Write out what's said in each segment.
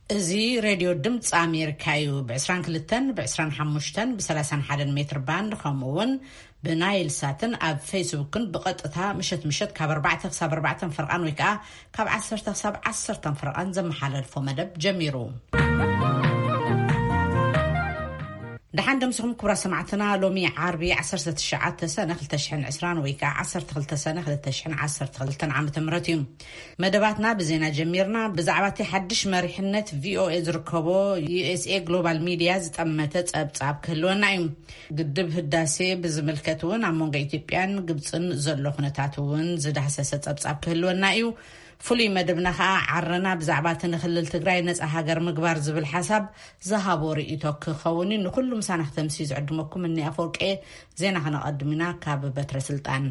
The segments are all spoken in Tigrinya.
እዚ ሬድዮ ድምፂ ኣሜሪካ እዩ። ብ22፣ ብ25፣ ብ31 ሜትር ባንድ፣ ከምኡ እውን ብናይል ሳትን ኣብ ፌስቡክን ብቐጥታ ምሸት ምሸት ካብ ኣርባዕተ ክሳብ ኣርባዕተ ፍርቓን ወይ ከዓ ካብ ዓሰርተ ክሳብ ዓሰርተ ፍርቓን ዘመሓላልፎ መደብ ጀሚሩ። ደሓን ደምስኹም ክቡራ ሰማዕትና። ሎሚ ዓርቢ ዓሰርተ ትሽዓተ ሰነ ክልተ ሽሕን ዕስራን ወይ ከዓ ዓሰርተ ክልተ ሰነ ክልተ ሽሕን ዓሰርተ ክልተን ዓመተ ምህረት እዩ። መደባትና ብዜና ጀሚርና። ብዛዕባ እቲ ሓድሽ መሪሕነት ቪኦኤ ዝርከቦ ዩኤስኤ ግሎባል ሚድያ ዝጠመተ ጸብጻብ ክህልወና እዩ። ግድብ ህዳሴ ብዝምልከት እውን ኣብ መንጎ ኢትዮጵያን ግብፅን ዘሎ ኩነታት እውን ዝዳህሰሰ ጸብጻብ ክህልወና እዩ። ፍሉይ መደብና ከዓ ዓረና ብዛዕባ እቲ ንክልል ትግራይ ነፃ ሃገር ምግባር ዝብል ሓሳብ ዝሃቦ ርእይቶ ክኸውን እዩ። ንኩሉ ምሳና ክተምስዩ ዝዕድመኩም እኒ ኣፈወርቄ። ዜና ከነቐድም ኢና ካብ በትረ ስልጣን።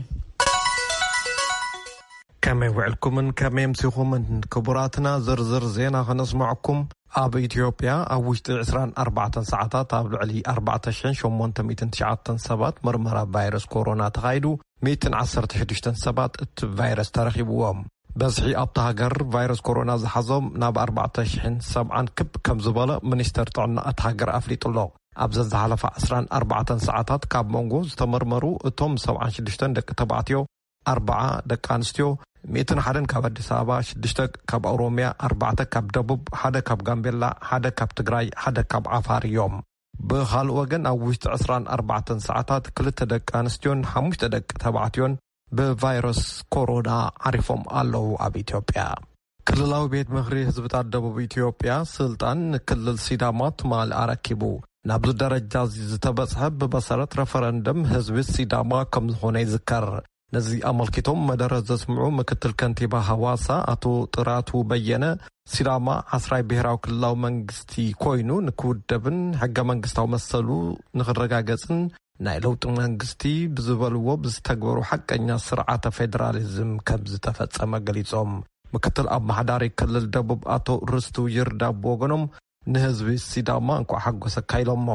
ከመይ ውዕልኩምን ከመይ ኣምሲኹምን ክቡራትና? ዝርዝር ዜና ከነስምዐኩም። ኣብ ኢትዮጵያ ኣብ ውሽጢ ዕስራን ኣርባዕተን ሰዓታት ኣብ ልዕሊ ኣርባዕተ ሽሕን ሸሞንተ ሚእትን ትሽዓተን ሰባት ምርመራ ቫይረስ ኮሮና ተኻይዱ፣ ሚእትን ዓሰርተ ሽዱሽተን ሰባት እቲ ቫይረስ ተረኺብዎም። በዝሒ ኣብታ ሃገር ቫይረስ ኮሮና ዝሓዞም ናብ ኣርባዕተ ሽሕን ሰብዓን ክብ ከም ዝበለ ሚኒስተር ጥዕና እታ ሃገር ኣፍሊጡ ኣሎ። ኣብ ዘዝሓለፋ ዕስራን ኣርባዕተን ሰዓታት ካብ መንጎ ዝተመርመሩ እቶም ሰብዓን ሽዱሽተን ደቂ ተባዕትዮ፣ ኣርባዓ ደቂ ኣንስትዮ፣ ሚእትን ሓደን ካብ ኣዲስ ኣበባ፣ ሽዱሽተ ካብ ኦሮምያ፣ ኣርባዕተ ካብ ደቡብ፣ ሓደ ካብ ጋምቤላ፣ ሓደ ካብ ትግራይ፣ ሓደ ካብ ዓፋር እዮም። ብኻልእ ወገን ኣብ ውሽጢ ዕስራን ኣርባዕተን ሰዓታት ክልተ ደቂ ኣንስትዮን ሓሙሽተ ደቂ ተባዕትዮን ብቫይረስ ኮሮና ዓሪፎም ኣለዉ። ኣብ ኢትዮጵያ ክልላዊ ቤት ምኽሪ ህዝብታት ደቡብ ኢትዮጵያ ስልጣን ንክልል ሲዳማ ትማሊ ኣረኪቡ። ናብዚ ደረጃ እዚ ዝተበጽሐ ብመሰረት ረፈረንደም ህዝቢ ሲዳማ ከም ዝኾነ ይዝከር። ነዚ ኣመልኪቶም መደረ ዘስምዑ ምክትል ከንቲባ ሃዋሳ ኣቶ ጥራቱ በየነ፣ ሲዳማ ዓስራይ ብሄራዊ ክልላዊ መንግስቲ ኮይኑ ንክውደብን ሕገ መንግስታዊ መሰሉ ንክረጋገጽን ናይ ለውጢ መንግስቲ ብዝበልዎ ብዝተግበሩ ሓቀኛ ስርዓተ ፌዴራሊዝም ከም ዝተፈጸመ ገሊጾም። ምክትል ኣመሓዳሪ ክልል ደቡብ ኣቶ ርስቱ ይርዳ ብወገኖም ንህዝቢ ሲዳማ እንኳዕ ሓጎሰካ ኢሎሞ።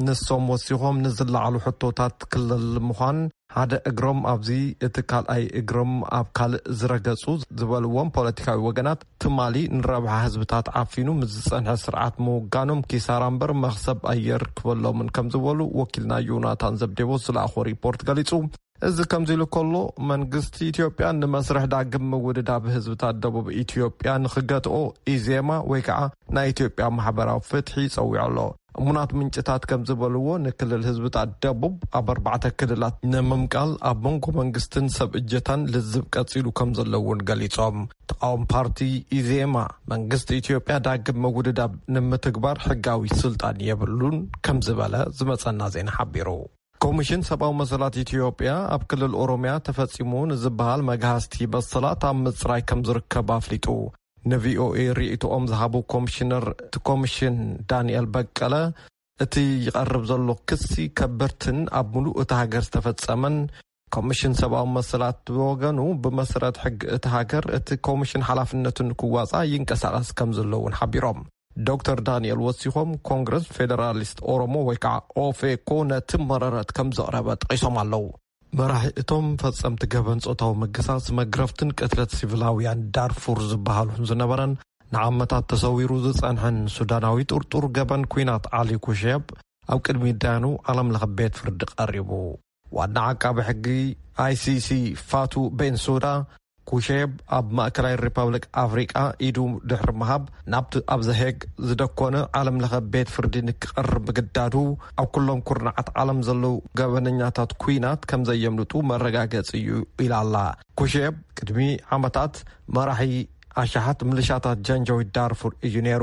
ንሶም ወሲኾም ንዝለዓሉ ሕቶታት ክልል ምዃን፣ ሓደ እግሮም ኣብዚ እቲ ካልኣይ እግሮም ኣብ ካልእ ዝረገጹ ዝበልዎም ፖለቲካዊ ወገናት ትማሊ ንረብሓ ህዝብታት ዓፊኑ ምስ ዝጸንሐ ስርዓት ምውጋኖም ኪሳራ እምበር መኽሰብ ኣየርክበሎምን ከም ዝበሉ ወኪልና ዮናታን ዘብዴዎስ ዝለኣኾ ሪፖርት ገሊጹ። እዚ ከምዚ ኢሉ ከሎ መንግስቲ ኢትዮጵያ ንመስርሕ ዳግም ምውድዳብ ህዝብታት ደቡብ ኢትዮጵያ ንክገትኦ ኢዜማ ወይ ከዓ ናይ ኢትዮጵያ ማሕበራዊ ፍትሒ ጸዊዑ ኣሎ። እሙናት ምንጭታት ከም ዝበልዎ ንክልል ህዝብታት ደቡብ ኣብ ኣርባዕተ ክልላት ንምምቃል ኣብ መንጎ መንግስትን ሰብ እጀታን ልዝብ ቀጺሉ ከም ዘለውን ገሊጾም። ተቃወም ፓርቲ ኢዜማ መንግስቲ ኢትዮጵያ ዳግም ምውድዳብ ንምትግባር ሕጋዊ ስልጣን የብሉን ከም ዝበለ ዝመጸና ዜና ሓቢሩ። ኮሚሽን ሰብኣዊ መሰላት ኢትዮጵያ ኣብ ክልል ኦሮምያ ተፈጺሙ ንዝበሃል መግሃስቲ መሰላት ኣብ ምጽራይ ከም ዝርከብ ኣፍሊጡ። ንቪኦኤ ርእይቶኦም ዝሃቡ ኮሚሽነር እቲ ኮሚሽን ዳንኤል በቀለ፣ እቲ ይቐርብ ዘሎ ክሲ ከበድትን ኣብ ምሉእ እታ ሃገር ዝተፈጸመን፣ ኮሚሽን ሰብኣዊ መሰላት ብወገኑ ብመሰረት ሕጊ እታ ሃገር እቲ ኮሚሽን ሓላፍነቱ ንክዋጻእ ይንቀሳቐስ ከም ዘሎ እውን ሓቢሮም። ዶክተር ዳንኤል ወሲኾም ኮንግረስ ፌደራሊስት ኦሮሞ ወይ ከዓ ኦፌኮ ነቲ መረረት ከም ዘቕረበ ጠቒሶም ኣለዉ። መራሒ እቶም ፈጸምቲ ገበን ጾታዊ ምግሳስ፣ መግረፍትን ቅትለት ሲቪላውያን ዳርፉር ዝበሃሉን ዝነበረን ንዓመታት ተሰዊሩ ዝጸንሐን ሱዳናዊ ጥርጡር ገበን ኲናት ዓሊ ኩሼብ ኣብ ቅድሚ ዳያኑ ዓለም ለኸ ቤት ፍርዲ ቀሪቡ። ዋና ዓቃቢ ሕጊ ኣይሲሲ ፋቱ ቤንሱዳ ኩሼብ ኣብ ማእከላይ ሪፐብሊክ ኣፍሪቃ ኢዱ ድሕሪ ምሃብ ናብቲ ኣብ ዘሄግ ዝደኮነ ዓለም ለኸ ቤት ፍርዲ ንክቐርብ ምግዳዱ ኣብ ኩሎም ኩርናዓት ዓለም ዘለዉ ገበነኛታት ኲናት ከም ዘየምልጡ መረጋገጺ እዩ ኢላ ኣላ። ኩሼብ ቅድሚ ዓመታት መራሒ ኣሽሓት ምልሻታት ጃንጃዊድ ዳርፉር እዩ ነይሩ።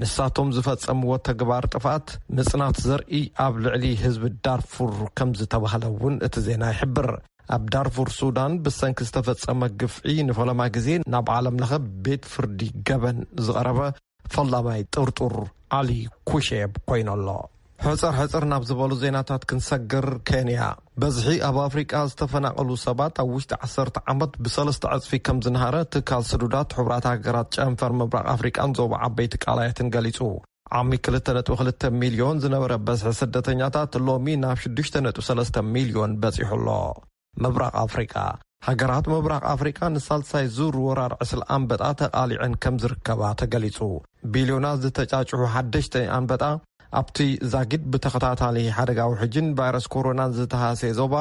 ንሳቶም ዝፈጸምዎ ተግባር ጥፍኣት ምጽናት ዘርኢ ኣብ ልዕሊ ህዝቢ ዳርፉር ከም ዝተባህለ እውን እቲ ዜና ይሕብር። ኣብ ዳርፉር ሱዳን ብሰንኪ ዝተፈጸመ ግፍዒ ንፈለማ ግዜ ናብ ዓለም ለኸ ቤት ፍርዲ ገበን ዝቐረበ ፈላማይ ጥርጡር ዓሊ ኩሼብ ኮይኑ ኣሎ። ሕጽር ሕጽር ናብ ዝበሉ ዜናታት ክንሰግር፣ ኬንያ በዝሒ ኣብ ኣፍሪቃ ዝተፈናቐሉ ሰባት ኣብ ውሽጢ ዓሰርተ ዓመት ብሰለስተ ዕጽፊ ከም ዝንሃረ ትካል ስዱዳት ሕቡራት ሃገራት ጨንፈር ምብራቕ ኣፍሪቃን ዞባ ዓበይቲ ቃላያትን ገሊጹ። ዓሚ ክልተ ነጥቢ ክልተ ሚልዮን ዝነበረ በዝሒ ስደተኛታት ሎሚ ናብ ሽዱሽተ ነጥቢ ሰለስተ ሚልዮን በጺሑ ኣሎ። ምብራቕ ኣፍሪቃ ሃገራት ምብራቕ ኣፍሪቃ ንሳልሳይ ዙር ወራር ዕስል ኣንበጣ ተቓሊዐን ከም ዝርከባ ተገሊጹ። ቢልዮናት ዝተጫጭሑ ሓደሽቲ ኣንበጣ ኣብቲ ዛጊድ ብተኸታታሊ ሓደጋ ውሕጅን ቫይረስ ኮሮናን ዝተሃሰየ ዞባ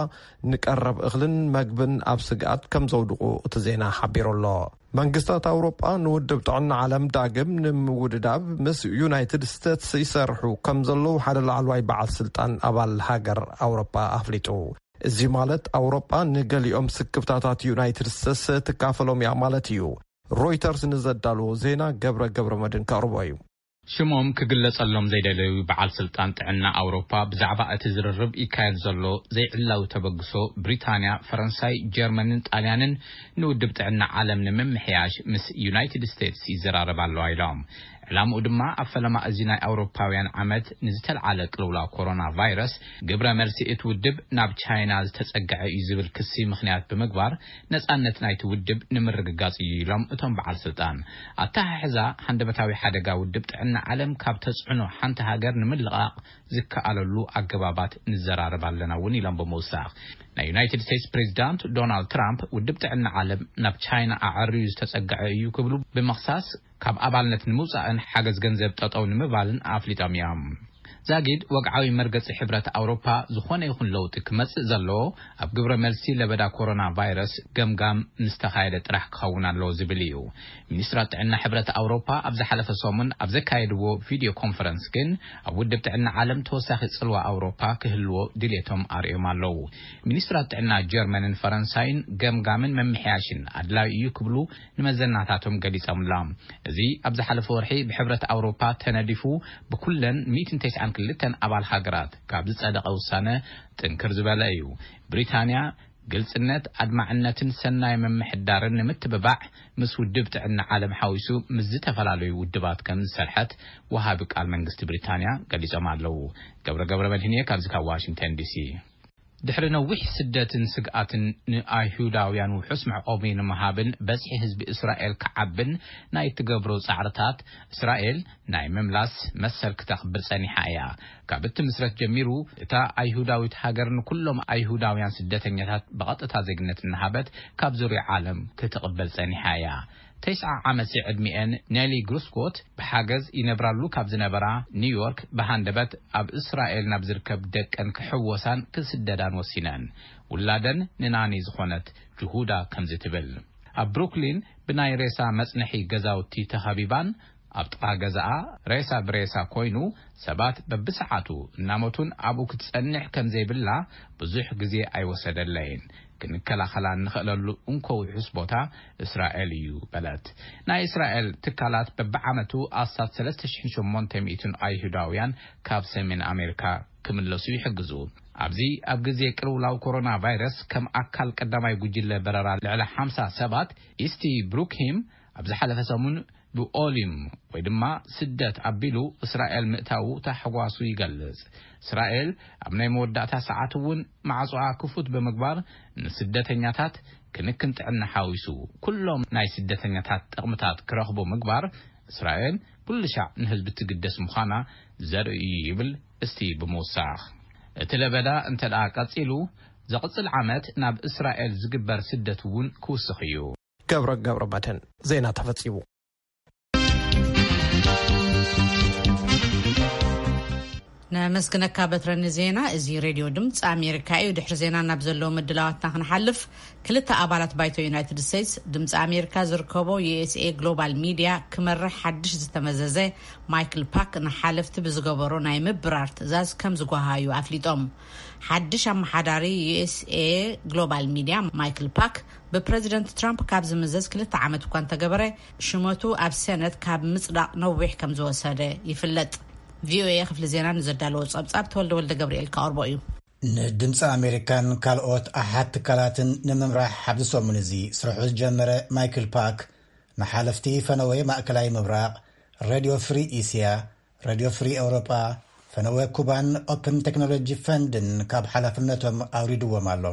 ንቀረብ እኽልን መግብን ኣብ ስግኣት ከም ዘውድቑ እቲ ዜና ሓቢሩ ኣሎ። መንግስታት ኣውሮጳ ንውድብ ጥዕና ዓለም ዳግም ንምውድዳብ ምስ ዩናይትድ ስቴትስ ይሰርሑ ከም ዘለዉ ሓደ ላዕለዋይ በዓል ስልጣን ኣባል ሃገር ኣውሮጳ ኣፍሊጡ። እዚ ማለት ኣውሮጳ ንገሊኦም ስክፍታታት ዩናይትድ ስቴትስ ትካፈሎም እያ ማለት እዩ። ሮይተርስ ንዘዳለዎ ዜና ገብረ ገብረ መድን ከቕርቦ እዩ። ሽሞም ክግለጸሎም ዘይደለዩ በዓል ስልጣን ጥዕና ኣውሮፓ ብዛዕባ እቲ ዝርርብ ይካየድ ዘሎ ዘይዕላዊ ተበግሶ ብሪታንያ፣ ፈረንሳይ፣ ጀርመንን ጣልያንን ንውድብ ጥዕና ዓለም ንምምሕያሽ ምስ ዩናይትድ ስቴትስ ይዘራረብ ኣለዋ ኢሎም። ዕላምኡ ድማ ኣብ ፈለማ እዚ ናይ ኣውሮፓውያን ዓመት ንዝተልዓለ ቅልውላው ኮሮና ቫይረስ ግብረ መልሲ እቲ ውድብ ናብ ቻይና ዝተጸግዐ እዩ ዝብል ክሲ ምኽንያት ብምግባር ነጻነት ናይቲ ውድብ ንምርግጋጽ እዩ ኢሎም እቶም በዓል ስልጣን። ኣተሓሕዛ ሃንደበታዊ ሓደጋ ውድብ ጥዕና ዓለም ካብ ተጽዕኖ ሓንቲ ሃገር ንምልቓቕ ዝከኣለሉ ኣገባባት ንዘራረብ ኣለና እውን ኢሎም ብምውሳኽ ናይ ዩናይትድ ስቴትስ ፕሬዚዳንት ዶናልድ ትራምፕ ውድብ ጥዕና ዓለም ናብ ቻይና ኣዕርዩ ዝተጸግዐ እዩ ክብሉ ብምኽሳስ ካብ ኣባልነት ንምውጻእን ሓገዝ ገንዘብ ጠጠው ንምባልን ኣፍሊጦም እዮም። ዛጊድ ወግዓዊ መርገጺ ሕብረት ኣውሮፓ ዝኾነ ይኹን ለውጢ ክመጽእ ዘለዎ ኣብ ግብረ መልሲ ለበዳ ኮሮና ቫይረስ ገምጋም ምስ ተኻየደ ጥራሕ ክኸውን ኣለዎ ዝብል እዩ። ሚኒስትራት ጥዕና ሕብረት ኣውሮፓ ኣብ ዝሓለፈ ሰሙን ኣብ ዘካየድዎ ቪድዮ ኮንፈረንስ ግን ኣብ ውድብ ጥዕና ዓለም ተወሳኺ ጽልዋ ኣውሮፓ ክህልዎ ድሌቶም ኣርእዮም ኣለዉ። ሚኒስትራት ጥዕና ጀርመንን ፈረንሳይን ገምጋምን መምሕያሽን ኣድላዩ እዩ ክብሉ ንመዘናታቶም ገሊጾምሎም። እዚ ኣብ ዝሓለፈ ወርሒ ብሕብረት ኣውሮፓ ተነዲፉ ብኩለን ሚእትን ተስዓን ክልተን ኣባል ሃገራት ካብ ዝጸደቐ ውሳነ ጥንክር ዝበለ እዩ። ብሪታንያ ግልጽነት፣ ኣድማዕነትን ሰናይ ምምሕዳርን ንምትብባዕ ምስ ውድብ ጥዕና ዓለም ሓዊሱ ምስ ዝተፈላለዩ ውድባት ከም ዝሰርሐት ወሃቢ ቃል መንግስቲ ብሪታንያ ገሊጾም ኣለዉ። ገብረ ገብረ መድህንየ ካብዚ ካብ ዋሽንግተን ዲሲ። ድሕሪ ነዊሕ ስደትን ስግኣትን ንኣይሁዳውያን ውሑስ መዕቆቢ ንምሃብን በዝሒ ህዝቢ እስራኤል ክዓብን ናይ ትገብሮ ጻዕርታት እስራኤል ናይ ምምላስ መሰል ክተኽብር ጸኒሓ እያ። ካብ እትምስረት ጀሚሩ እታ ኣይሁዳዊት ሃገር ንኩሎም ኣይሁዳውያን ስደተኛታት ብቐጥታ ዜግነት እናሃበት ካብ ዙርያ ዓለም ክትቕበል ጸኒሓ እያ። ተስዓ ዓመት ዕድሚኤን ኔሊ ግሩስኮት ብሓገዝ ይነብራሉ ካብ ዝነበራ ኒውዮርክ ብሃንደበት ኣብ እስራኤል ናብ ዝርከብ ደቀን ክሕወሳን ክስደዳን ወሲነን። ውላደን ንናኒ ዝኾነት ጅሁዳ ከምዚ ትብል። ኣብ ብሩክሊን ብናይ ሬሳ መጽንሒ ገዛውቲ ተኸቢባን ኣብ ጥቓ ገዛኣ ሬሳ ብሬሳ ኮይኑ ሰባት በብሰዓቱ እናሞቱን ኣብኡ ክትጸንሕ ከም ዘይብላ ብዙሕ ግዜ ኣይወሰደለይን። ክንከላኸላ እንኽእለሉ እንኮ ውሑስ ቦታ እስራኤል እዩ በለት። ናይ እስራኤል ትካላት በብዓመቱ ኣስታት ሰለስተ ሽሕን ሸሞንተ ሚእትን ኣይሁዳውያን ካብ ሰሜን ኣሜሪካ ክምለሱ ይሕግዙ። ኣብዚ ኣብ ግዜ ቅልውላው ኮሮና ቫይረስ ከም ኣካል ቀዳማይ ጉጅለ በረራ ልዕሊ ሓምሳ ሰባት ኢስቲ ብሩክሂም ኣብ ዝሓለፈ ሰሙን ብኦሊም ወይ ድማ ስደት ኣቢሉ እስራኤል ምእታዉ ታሕጓሱ ይገልጽ። እስራኤል ኣብ ናይ መወዳእታ ሰዓት እውን ማዕጾኣ ክፉት ብምግባር ንስደተኛታት ክንክን ጥዕና ሓዊሱ ኩሎም ናይ ስደተኛታት ጥቕምታት ክረኽቡ ምግባር እስራኤል ኩሉ ሻዕ ንህዝቢ ትግደስ ምዃና ዘርኢ እዩ ይብል እስቲ ብምውሳኽ። እቲ ለበዳ እንተ ደኣ ቀጺሉ ዘቕጽል ዓመት ናብ እስራኤል ዝግበር ስደት እውን ክውስኽ እዩ። ገብረ ገብረ መድህን ዜና ተፈጺሙ። ነመስግነካ በትረ ንዜና። እዚ ሬድዮ ድምፂ ኣሜሪካ እዩ። ድሕሪ ዜና ናብ ዘለዉ ምድላዋትና ክንሓልፍ፣ ክልተ ኣባላት ባይቶ ዩናይትድ ስቴትስ ድምፂ ኣሜሪካ ዝርከቦ ዩ ኤስ ኤ ግሎባል ሚድያ ክመርሕ ሓድሽ ዝተመዘዘ ማይክል ፓክ ንሓለፍቲ ብዝገበሮ ናይ ምብራር ትእዛዝ ከም ዝጓሃዩ ኣፍሊጦም። ሓድሽ ኣመሓዳሪ ዩ ኤስ ኤ ግሎባል ሚድያ ማይክል ፓክ ብፕረዚደንት ትራምፕ ካብ ዝምዘዝ ክልተ ዓመት እኳ እንተገበረ፣ ሽመቱ ኣብ ሰነት ካብ ምጽዳቕ ነዊሕ ከም ዝወሰደ ይፍለጥ። ቪ ኦ ኤ ክፍሊ ዜና ንዘዳለዎ ጸብጻብ ተወልደ ወልደ ገብርኤል ከቕርቦ እዩ። ንድምፂ ኣሜሪካን ካልኦት ኣሓት ትካላትን ንምምራሕ ኣብዚ ሰሙን እዚ ስርሑ ዝጀመረ ማይክል ፓክ፣ ንሓለፍቲ ፈነወ ማእከላይ ምብራቕ፣ ሬድዮ ፍሪ እስያ፣ ሬድዮ ፍሪ ኤውሮጳ፣ ፈነወ ኩባን ኦፕን ቴክኖሎጂ ፈንድን ካብ ሓላፍነቶም ኣውሪድዎም ኣሎ።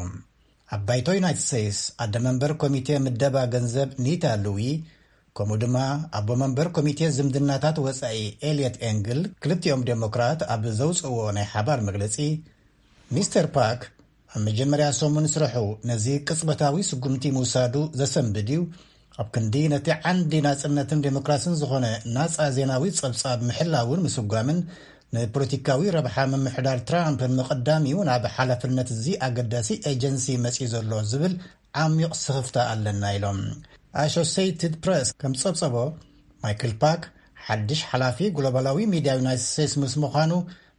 ኣብ ባይቶ ዩናይትድ ስቴትስ ኣደ መንበር ኮሚቴ ምደባ ገንዘብ ኒታ ሉዊ፣ ከምኡ ድማ ኣቦ መንበር ኮሚቴ ዝምድናታት ወጻኢ ኤልየት ኤንግል፣ ክልቲኦም ዴሞክራት ኣብ ዘውጽእዎ ናይ ሓባር መግለጺ፣ ሚስተር ፓክ ኣብ መጀመርያ ሰሙን ስርሑ ነዚ ቅጽበታዊ ስጉምቲ ምውሳዱ ዘሰንብድ እዩ። ኣብ ክንዲ ነቲ ዓንዲ ናጽነትን ዴሞክራስን ዝኾነ ናጻ ዜናዊ ጸብጻብ ምሕላውን ምስጓምን፣ ንፖለቲካዊ ረብሓ ምምሕዳር ትራምፕ ንምቕዳም እዩ ናብ ሓላፍነት እዚ ኣገዳሲ ኤጀንሲ መጺኡ ዘሎ ዝብል ዓሚቕ ስኽፍታ ኣለና ኢሎም። ኣሶሴይትድ ፕረስ ከም ጸብጸቦ፣ ማይክል ፓክ ሓድሽ ሓላፊ ግሎባላዊ ሚድያ ዩናይትድ ስቴትስ ምስ ምዃኑ፣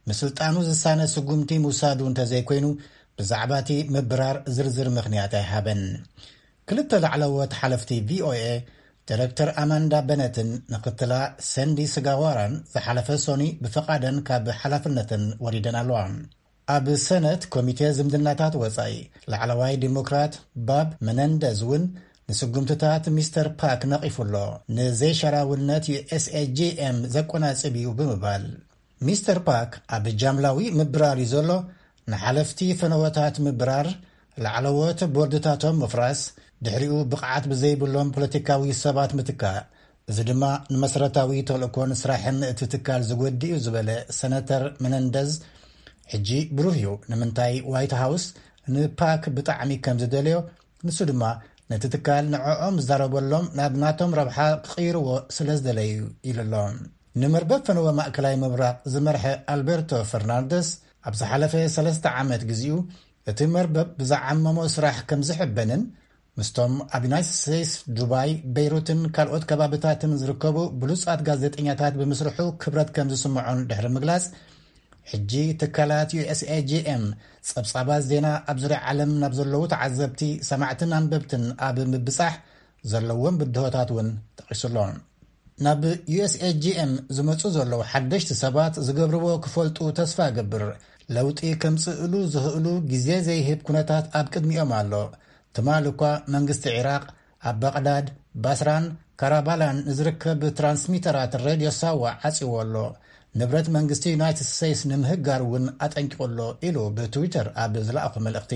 ምስልጣኑ ዝሳነ ስጉምቲ ምውሳዱ እንተዘይኮይኑ፣ ብዛዕባ እቲ ምብራር ዝርዝር ምኽንያት ኣይሃበን። ክልተ ላዕለዎት ሓለፍቲ ቪኦኤ፣ ዲረክተር ኣማንዳ በነትን ምክትላ ሰንዲ ስጋዋራን፣ ዝሓለፈ ሶኒ ብፈቓደን ካብ ሓላፍነተን ወሪደን ኣለዋ። ኣብ ሰነት ኮሚቴ ዝምድናታት ወጻኢ፣ ላዕለዋይ ዲሞክራት ባብ መነንደዝ እውን ንስጉምትታት ሚስተር ፓክ ነቒፉ ኣሎ። ንዘይሸራውነት ዩ ኤስ ኤ ጂ ኤም ዘቆናጽብ እዩ ብምባል፣ ሚስተር ፓክ ኣብ ጃምላዊ ምብራር እዩ ዘሎ። ንሓለፍቲ ፈነወታት ምብራር፣ ላዕለዎት ቦርድታቶም ምፍራስ፣ ድሕሪኡ ብቕዓት ብዘይብሎም ፖለቲካዊ ሰባት ምትካእ፣ እዚ ድማ ንመሰረታዊ ተልእኮን ስራሕን እቲ ትካል ዝጎድእ እዩ ዝበለ ሰነተር መነንደዝ፣ ሕጂ ብሩህ እዩ ንምንታይ ዋይት ሃውስ ንፓክ ብጣዕሚ ከም ዝደልዮ፣ ንሱ ድማ ነቲ ትካል ንዕኦም ዝዛረበሎም ናብ ናቶም ረብሓ ክቕይርዎ ስለ ዝደለዩ ኢሉ ኣሎ። ንመርበብ ፈነወ ማእከላይ ምብራቕ ዝመርሐ ኣልበርቶ ፈርናንደስ፣ ኣብ ዝሓለፈ ሰለስተ ዓመት ግዚኡ እቲ መርበብ ብዝዓመሞ ስራሕ ከም ዝሕበንን፣ ምስቶም ኣብ ዩናይትድ ስቴትስ፣ ዱባይ፣ በይሩትን ካልኦት ከባብታትን ዝርከቡ ብሉጻት ጋዜጠኛታት ብምስርሑ ክብረት ከም ዝስምዖን ድሕሪ ምግላጽ፣ ሕጂ ትካላት ዩ ኤስ ኤ ጂ ኤም ጸብጻባት ዜና ኣብ ዙርያ ዓለም ናብ ዘለዉ ተዓዘብቲ፣ ሰማዕትን ኣንበብትን ኣብ ምብጻሕ ዘለዎም ብድሆታት እውን ጠቒሱ ኣሎ። ናብ ዩ ኤስ ኤ ጂ ኤም ዝመጹ ዘለዉ ሓደሽቲ ሰባት ዝገብርዎ ክፈልጡ ተስፋ እገብር። ለውጢ ከምጽእሉ ዝኽእሉ ግዜ ዘይህብ ኩነታት ኣብ ቅድሚኦም ኣሎ። ትማሊ እኳ መንግስቲ ዒራቕ ኣብ ባቕዳድ፣ ባስራን ካራባላን ንዝርከብ ትራንስሚተራት ሬድዮ ሳዋ ዓጽዎ ኣሎ። ንብረት መንግስቲ ዩናይትድ ስቴትስ ንምህጋር እውን ኣጠንቂቑ ኣሎ ኢሉ ብትዊተር ኣብ ዝለኣኾ መልእኽቲ።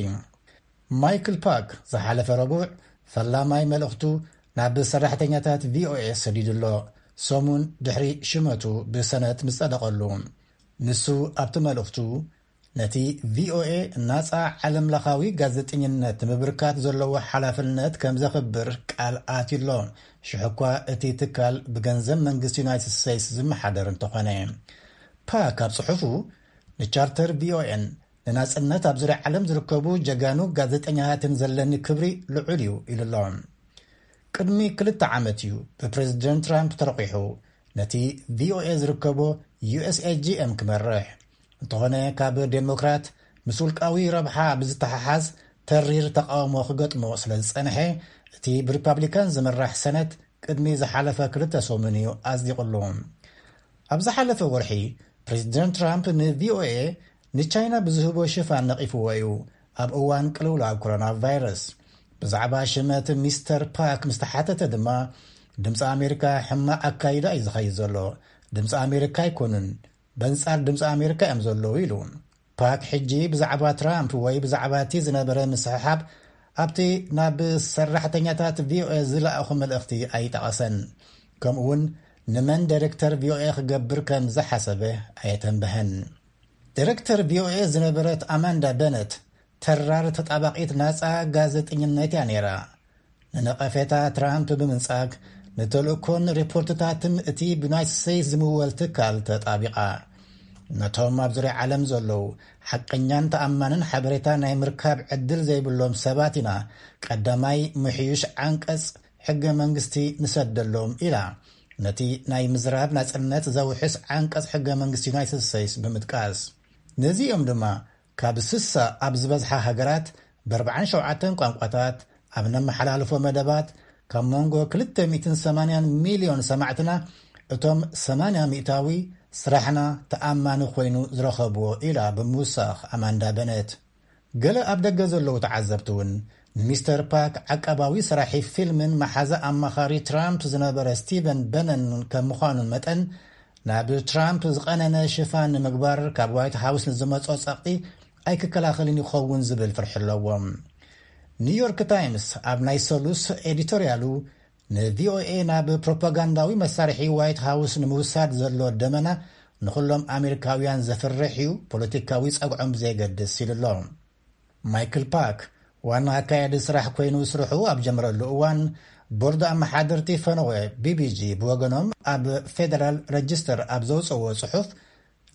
ማይክል ፓክ ዝሓለፈ ረቡዕ ፈላማይ መልእኽቱ ናብ ሰራሕተኛታት ቪኦኤ ሰዲዱ ኣሎ። ሰሙን ድሕሪ ሽመቱ ብሰነት ምስ ጸደቐሉ፣ ንሱ ኣብቲ መልእኽቱ፣ ነቲ ቪኦኤ ናጻ ዓለምለኻዊ ጋዜጠኝነት ንምብርካት ዘለዎ ሓላፍነት ከም ዘኽብር ቃል ኣትዩ ኣሎ። ሽሕኳ እቲ ትካል ብገንዘብ መንግስቲ ዩናይትድ ስቴትስ ዝመሓደር እንተኾነ፣ ፓክ ኣብ ጽሑፉ፣ ንቻርተር ቪኦኤን ንናጽነት ኣብ ዙርያ ዓለም ዝርከቡ ጀጋኑ ጋዜጠኛታትን ዘለኒ ክብሪ ልዑል እዩ ኢሉ ኣሎ። ቅድሚ ክልተ ዓመት እዩ ብፕሬዚደንት ትራምፕ ተረቂሑ ነቲ ቪኦኤ ዝርከቦ ዩ ኤስ ኤ ጂ ኤም ክመርሕ። እንተኾነ፣ ካብ ዴሞክራት ምስ ውልቃዊ ረብሓ ብዝተሓሓዝ ተሪር ተቃውሞ ክገጥሞ ስለ ዝጸንሐ፣ እቲ ብሪፓብሊካን ዝምራሕ ሰነት ቅድሚ ዝሓለፈ ክልተ ሰሙን እዩ ኣጽዲቑሉ። ኣብ ዝሓለፈ ወርሒ፣ ፕሬዚደንት ትራምፕ ንቪኦኤ ንቻይና ብዝህቦ ሽፋን ነቒፍዎ እዩ። ኣብ እዋን ቅልውላው ኮሮና ቫይረስ ብዛዕባ ሽመት ሚስተር ፓክ ምስ ተሓተተ ድማ፣ ድምፂ ኣሜሪካ ሕማቕ ኣካይዳ እዩ ዝኸይድ ዘሎ፣ ድምፂ ኣሜሪካ ኣይኮኑን፣ በንጻር ድምፂ ኣሜሪካ እዮም ዘለዉ ኢሉ። ፓክ ሕጂ ብዛዕባ ትራምፕ ወይ ብዛዕባ እቲ ዝነበረ ምስሕሓብ ኣብቲ ናብ ሰራሕተኛታት ቪኦኤ ዝለኣኹ መልእኽቲ ኣይጠቐሰን። ከምኡውን ንመን ዳይሬክተር ቪኦኤ ክገብር ከም ዝሓሰበ ኣየተንበሀን። ዳይሬክተር ቪኦኤ ዝነበረት ኣማንዳ በነት ተራር ተጣባቒት ናጻ ጋዜጠኝነት እያ ነይራ። ንነቐፌታ ትራምፕ ብምንጻግ፣ ንተልእኮን ሪፖርትታትን እቲ ብዩናይትድ ስቴትስ ዝምወል ትካል ተጣቢቓ። ነቶም ኣብ ዙርያ ዓለም ዘለዉ ሓቀኛን ተኣማንን ሓበሬታ ናይ ምርካብ ዕድል ዘይብሎም ሰባት ኢና ቀዳማይ ምሕዩሽ ዓንቀጽ ሕገ መንግስቲ ንሰደሎም ኢላ። ነቲ ናይ ምዝራብ ናጽነት ዘውሕስ ዓንቀጽ ሕገ መንግስቲ ዩናይትድ ስቴትስ ብምጥቃስ፣ ነዚኦም ድማ ካብ ስሳ ኣብ ዝበዝሓ ሃገራት ብ ኣርባዓን ሸውዓተን ቋንቋታት ኣብ ነመሓላልፎ መደባት ካብ መንጎ ክልተ ሚእትን ሰማንያን ሚልዮን ሰማዕትና እቶም ሰማንያ ሚእታዊ ስራሕና ተኣማኒ ኮይኑ ዝረኸብዎ ኢላ ብምውሳኽ ኣማንዳ በነት። ገለ ኣብ ደገ ዘለዉ ተዓዘብቲ እውን፣ ንሚስተር ፓክ ዓቃባዊ ሰራሒ ፊልምን መሓዛ ኣማኻሪ ትራምፕ ዝነበረ ስቲቨን በነን ከም ምዃኑን መጠን፣ ናብ ትራምፕ ዝቐነነ ሽፋን ንምግባር ካብ ዋይት ሃውስ ንዝመጾ ጸቕጢ ኣይክከላኸልን ይኸውን ዝብል ፍርሒ ኣለዎም። ኒውዮርክ ታይምስ ኣብ ናይ ሰሉስ ኤዲቶርያሉ፣ ንቪኦኤ ናብ ፕሮፓጋንዳዊ መሳርሒ ዋይት ሃውስ ንምውሳድ ዘሎ ደመና ንኹሎም ኣሜሪካውያን ዘፍርሕ እዩ፣ ፖለቲካዊ ጸግዖም ብዘየገድስ ኢሉ ኣሎ። ማይክል ፓክ ዋና ኣካያዲ ስራሕ ኮይኑ ስርሑ ኣብ ጀመረሉ እዋን፣ ቦርድ ኣመሓደርቲ ፈነወ ቢቢጂ ብወገኖም ኣብ ፌደራል ረጅስተር ኣብ ዘውፅዎ ጽሑፍ፣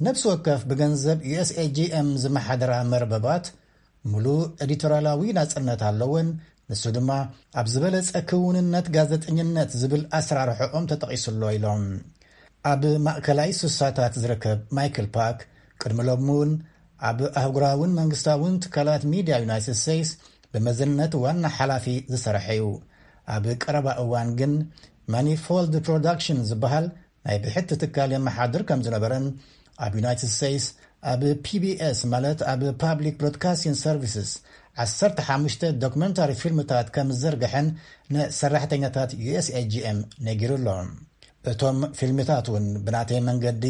ነፍሲ ወከፍ ብገንዘብ ዩኤስኤጂኤም ዝመሓደራ መርበባት ሙሉእ ኤዲቶሪያላዊ ናጽነት ኣለወን፣ ንሱ ድማ ኣብ ዝበለጸ ክውንነት ጋዜጠኝነት ዝብል ኣሰራርሖኦም ተጠቒሱሎ ኢሎም። ኣብ ማእከላይ ሱሳታት ዝርከብ ማይክል ፓክ ቅድሚ ሎሚ እውን ኣብ ኣህጉራውን መንግስታውን ትካላት ሚድያ ዩናይትድ ስቴትስ ብመዘነት ዋና ሓላፊ ዝሰረሐ እዩ። ኣብ ቀረባ እዋን ግን ማኒፎልድ ፕሮዳክሽን ዝበሃል ናይ ብሕቲ ትካል የመሓድር ከም ዝነበረን ኣብ ዩናይትድ ስቴትስ ኣብ ፒቢኤስ ማለት ኣብ ፓብሊክ ብሮድካስቲንግ ሰርቪስስ ዓሰርተ ሓሙሽተ ዶክመንታሪ ፊልምታት ከም ዝዘርግሐን ንሰራሕተኛታት ዩኤስኤጂኤም ነጊሩ ኣሎ። እቶም ፊልምታት እውን ብናተይ መንገዲ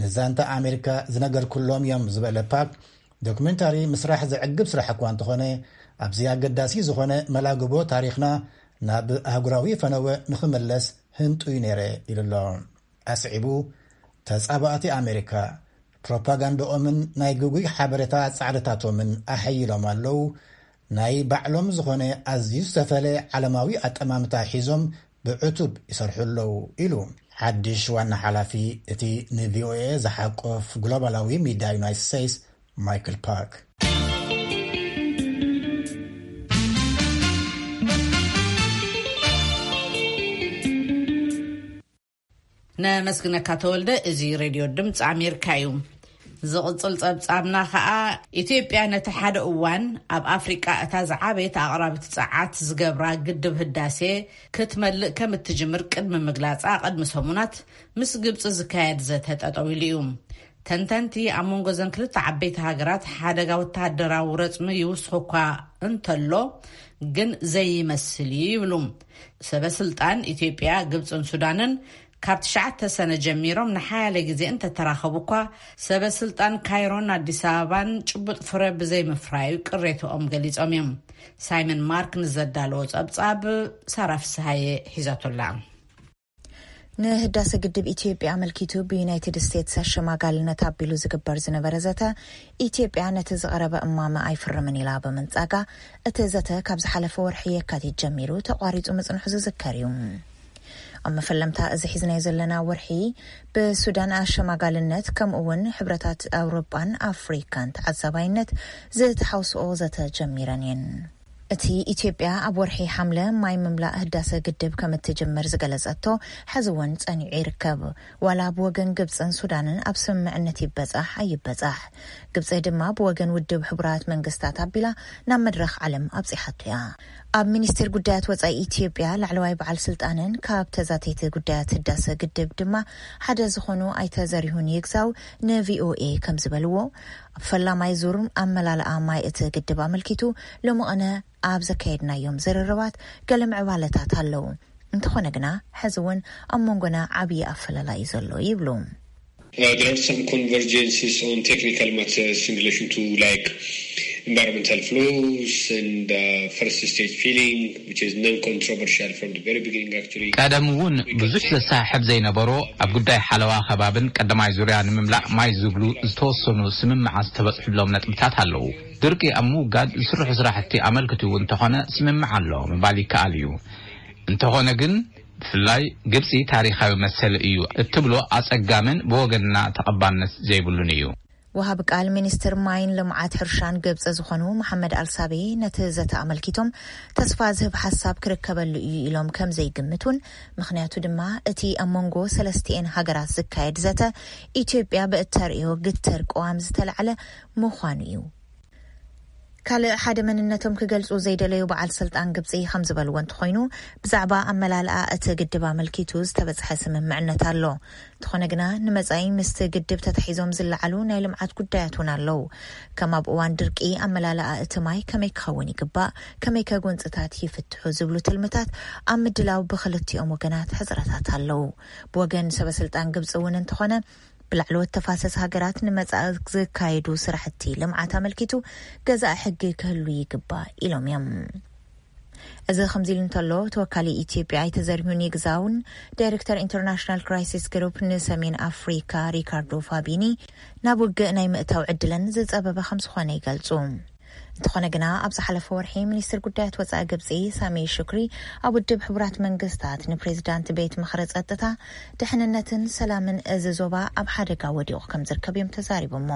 ንዛንታ ኣሜሪካ ዝነገርኩሎም እዮም ዝበለ ፓክ፣ ዶክመንታሪ ምስራሕ ዘዕግብ ስራሕ እኳ እንተኾነ፣ ኣብዚ ኣገዳሲ ዝኾነ መላግቦ ታሪኽና ናብ ኣህጉራዊ ፈነወ ንኽምለስ ህንጡይ ነይረ ኢሉ ኣሎ። ኣስዒቡ፣ ተጻባእቲ ኣሜሪካ ፕሮፓጋንዳኦምን ናይ ግጉይ ሓበሬታ ጻዕርታቶምን ኣሐይሎም ኣለዉ። ናይ ባዕሎም ዝኾነ ኣዝዩ ዝተፈለ ዓለማዊ ኣጠማምታ ሒዞም ብዕቱብ ይሰርሑ ኣለዉ ኢሉ ሓድሽ ዋና ሓላፊ እቲ ንቪኦኤ ዝሓቆፍ ግሎባላዊ ሚድያ ዩናይትድ ስቴትስ ማይክል ፓክ። ነመስግነካ ተወልደ። እዚ ሬድዮ ድምፂ ኣሜሪካ እዩ። ዝቕፅል ፀብፃብና ከዓ፣ ኢትዮጵያ ነቲ ሓደ እዋን ኣብ ኣፍሪቃ እታ ዝዓበየት ኣቕራቢት ፀዓት ዝገብራ ግድብ ህዳሴ ክትመልእ ከም እትጅምር ቅድሚ ምግላፃ ቅድሚ ሰሙናት ምስ ግብፂ ዝካየድ ዘተ ጠጠው ኢሉ እዩ። ተንተንቲ ኣብ መንጎ ዘን ክልተ ዓበይቲ ሃገራት ሓደጋ ወተሃደራዊ ረፅሚ ይውስኽ እኳ እንተሎ ግን ዘይመስል እዩ ይብሉ። ሰበ ስልጣን ኢትዮጵያ፣ ግብፅን ሱዳንን ካብ ትሽዓተ ሰነ ጀሚሮም ንሓያለ ግዜ እንተተራኸቡ እኳ፣ ሰበ ስልጣን ካይሮን ኣዲስ ኣበባን ጭቡጥ ፍረ ብዘይምፍራዩ ቅሬትኦም ገሊጾም እዮም። ሳይመን ማርክ ንዘዳለዎ ጸብጻብ ሳራ ፍስሃየ ሒዛቶላ። ንህዳሰ ግድብ ኢትዮጵያ ኣመልኪቱ ብዩናይትድ ስቴትስ ኣሸማጋልነት ኣቢሉ ዝግበር ዝነበረ ዘተ፣ ኢትዮጵያ ነቲ ዝቐረበ እማመ ኣይፍርምን ኢላ ብምንጻጋ፣ እቲ ዘተ ካብ ዝሓለፈ ወርሒ የካቲት ጀሚሩ ተቋሪጹ ምጽንሑ ዝዝከር እዩ። ኣብ መፈለምታ እዚ ሒዝናዮ ዘለና ወርሒ፣ ብሱዳን ኣሸማጋልነት ከምኡ እውን ሕብረታት ኣውሮጳን ኣፍሪካን ተዓዛባይነት ዝተሓውስኦ ዘተ ጀሚረን እየን። እቲ ኢትዮጵያ ኣብ ወርሒ ሓምለ ማይ ምምላእ ህዳሰ ግድብ ከም እትጅምር ዝገለጸቶ፣ ሕዚ እውን ጸኒዑ ይርከብ። ዋላ ብወገን ግብጽን ሱዳንን ኣብ ስምምዕነት ይበጻሕ ኣይበጻሕ፣ ግብጺ ድማ ብወገን ውድብ ሕቡራት መንግስታት ኣቢላ ናብ መድረኽ ዓለም ኣብጺሓቶ እያ። ኣብ ሚኒስቴር ጉዳያት ወጻኢ ኢትዮጵያ ላዕለዋይ በዓል ስልጣንን ካብ ተዛተይቲ ጉዳያት ህዳሰ ግድብ ድማ ሓደ ዝኾኑ ኣይተ ዘሪሁን ይግዛው ንቪኦኤ ከም ዝበልዎ፣ ኣብ ፈላማይ ዙር ኣመላልኣ ማይ እቲ ግድብ ኣመልኪቱ ሎሚ ቅነ ኣብ ዘካየድናዮም ዝርርባት ገለ ምዕባለታት ኣለዉ። እንተኾነ ግና፣ ሕዚ እውን ኣብ መንጎና ዓብዪ ኣፈላላይ እዩ ዘሎ ይብሉ። Uh, there are some convergences on technical matters in relation to, like, environmental flows and, uh, first stage filling, which is non-controversial from the very beginning, actually. ቀደም እውን ብዙሕ ዘሰሓሕብ ዘይነበሮ ኣብ ጉዳይ ሓለዋ ከባብን ቀዳማይ ዙርያ ንምምላእ ማይ ዝብሉ ዝተወሰኑ ስምምዓት ዝተበጽሕሎም ነጥብታት ኣለዉ። ድርቂ ኣብ ምውጋድ ዝስርሑ ስራሕቲ ኣመልክቱ እንተኾነ ስምምዕ ኣሎ ምባል ይከኣል እዩ። እንተኾነ ግን፣ ብፍላይ ግብጺ ታሪኻዊ መሰል እዩ እትብሎ ኣጸጋምን ብወገንና ተቐባልነት ዘይብሉን እዩ። ወሃቢ ቃል ሚኒስትር ማይን ልምዓት ሕርሻን ግብጺ ዝኾኑ መሓመድ ኣልሳቤ ነቲ ዘተ ኣመልኪቶም፣ ተስፋ ዝህብ ሓሳብ ክርከበሉ እዩ ኢሎም ከም ዘይግምቱን፣ ምኽንያቱ ድማ እቲ ኣብ መንጎ ሰለስቲኤን ሃገራት ዝካየድ ዘተ ኢትዮጵያ ብእተርእዮ ግትር ቅዋም ዝተላዕለ ምዃኑ እዩ። ካልእ ሓደ መንነቶም ክገልጹ ዘይደለዩ በዓል ስልጣን ግብጺ ከም ዝበልዎ እንተኾይኑ፣ ብዛዕባ ኣመላልኣ እቲ ግድብ ኣመልኪቱ ዝተበጽሐ ስምምዕነት ኣሎ። እንተኾነ ግና፣ ንመጻኢ ምስቲ ግድብ ተታሒዞም ዝለዓሉ ናይ ልምዓት ጉዳያት እውን ኣለዉ። ከም ኣብ እዋን ድርቂ ኣመላልኣ እቲ ማይ ከመይ ክኸውን ይግባእ፣ ከመይከ ጎንጽታት ይፍትሑ ዝብሉ ትልምታት ኣብ ምድላው ብኽልቲኦም ወገናት ሕጽረታት ኣለዉ። ብወገን ሰበ ስልጣን ግብጺ እውን እንተኾነ፣ ብላዕለዎት ተፋሰስ ሃገራት ንመጻኢ ዝካየዱ ስራሕቲ ልምዓት ኣመልኪቱ ገዛኢ ሕጊ ክህሉ ይግባእ ኢሎም እዮም። እዚ ከምዚ ኢሉ እንተሎ፣ ተወካሊ ኢትዮጵያ ኣይተ ዘሪሁን ይግዛውን ዳይሬክተር ኢንተርናሽናል ክራይሲስ ግሩፕ ንሰሜን ኣፍሪካ ሪካርዶ ፋቢኒ፣ ናብ ውግእ ናይ ምእታው ዕድለን ዝጸበበ ከም ዝኾነ ይገልጹ። እንተኾነ ግና፣ ኣብ ዝሓለፈ ወርሒ ሚኒስትር ጉዳያት ወጻኢ ግብጺ ሳሚ ሹክሪ ኣብ ውድብ ሕቡራት መንግስታት ንፕሬዚዳንት ቤት ምኽሪ ጸጥታ፣ ድሕንነትን ሰላምን እዚ ዞባ ኣብ ሓደጋ ወዲቑ ከም ዝርከብ እዮም ተዛሪቦሞ።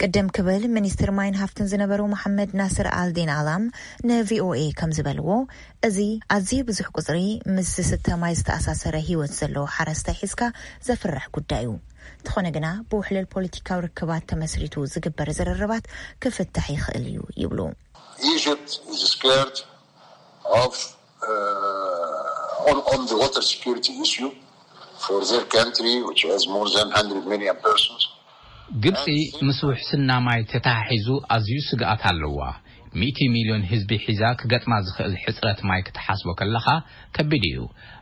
ቅድም ክብል ሚኒስትር ማይን ሃፍትን ዝነበሩ መሓመድ ናስር ኣልዲን ኣላም ንቪኦኤ ከም ዝበልዎ፣ እዚ ኣዝዩ ብዙሕ ቁጽሪ ምስ ዝስተ ማይ ዝተኣሳሰረ ህይወት ዘለዎ ሓረስታይ ሒዝካ ዘፍርሕ ጉዳይ እዩ። እንተኾነ ግና፣ ብውሕልል ፖለቲካዊ ርክባት ተመስሪቱ ዝግበር ዝርርባት ክፍታሕ ይኽእል እዩ ይብሉ። Egypt is scared of uh, on, on the water security issue for their country, which has more than one hundred million persons. ግብጺ ምስ ውሕስና ማይ ተተሓሒዙ ኣዝዩ ስግኣት ኣለዋ። ሚእቲ ሚልዮን ህዝቢ ሒዛ ክገጥማ ዝኽእል ሕጽረት ማይ ክትሓስቦ ከለኻ ከቢድ እዩ።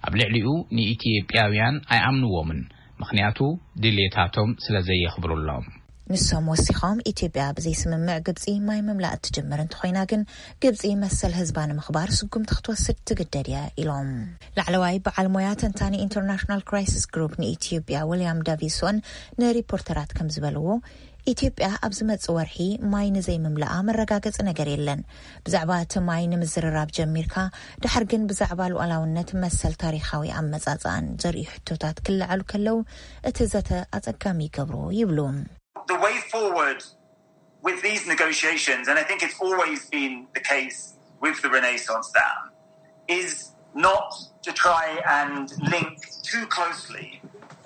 ኣብ ልዕሊኡ ንኢትዮጵያውያን ኣይኣምንዎምን፣ ምኽንያቱ ድሌታቶም ስለ ዘየኽብሩሎም። ንሶም ወሲኾም፣ ኢትዮጵያ ብዘይስምምዕ ግብጺ ማይ ምምላእ እትጅምር እንተኾይና ግን፣ ግብጺ መሰል ህዝባ ንምኽባር ስጉምቲ ክትወስድ ትግደድ እያ ኢሎም። ላዕለዋይ በዓል ሞያ ተንታኒ ኢንተርናሽናል ክራይሲስ ግሩፕ ንኢትዮጵያ ዊልያም ዳቪሶን ንሪፖርተራት ከም ዝበልዎ፣ ኢትዮጵያ ኣብ ዝመጽእ ወርሒ ማይ ንዘይምምላኣ መረጋገጺ ነገር የለን። ብዛዕባ እቲ ማይ ንምዝርራብ ጀሚርካ፣ ድሓር ግን ብዛዕባ ሉዓላውነት መሰል ታሪኻዊ ኣመጻጽኣን ዘርእዩ ሕቶታት ክለዓሉ ከለዉ፣ እቲ ዘተ ኣጸጋሚ ይገብሮ ይብሉ። The way forward with these negotiations, and I think it's always been the case with the Renaissance Dam, is not to try and link too closely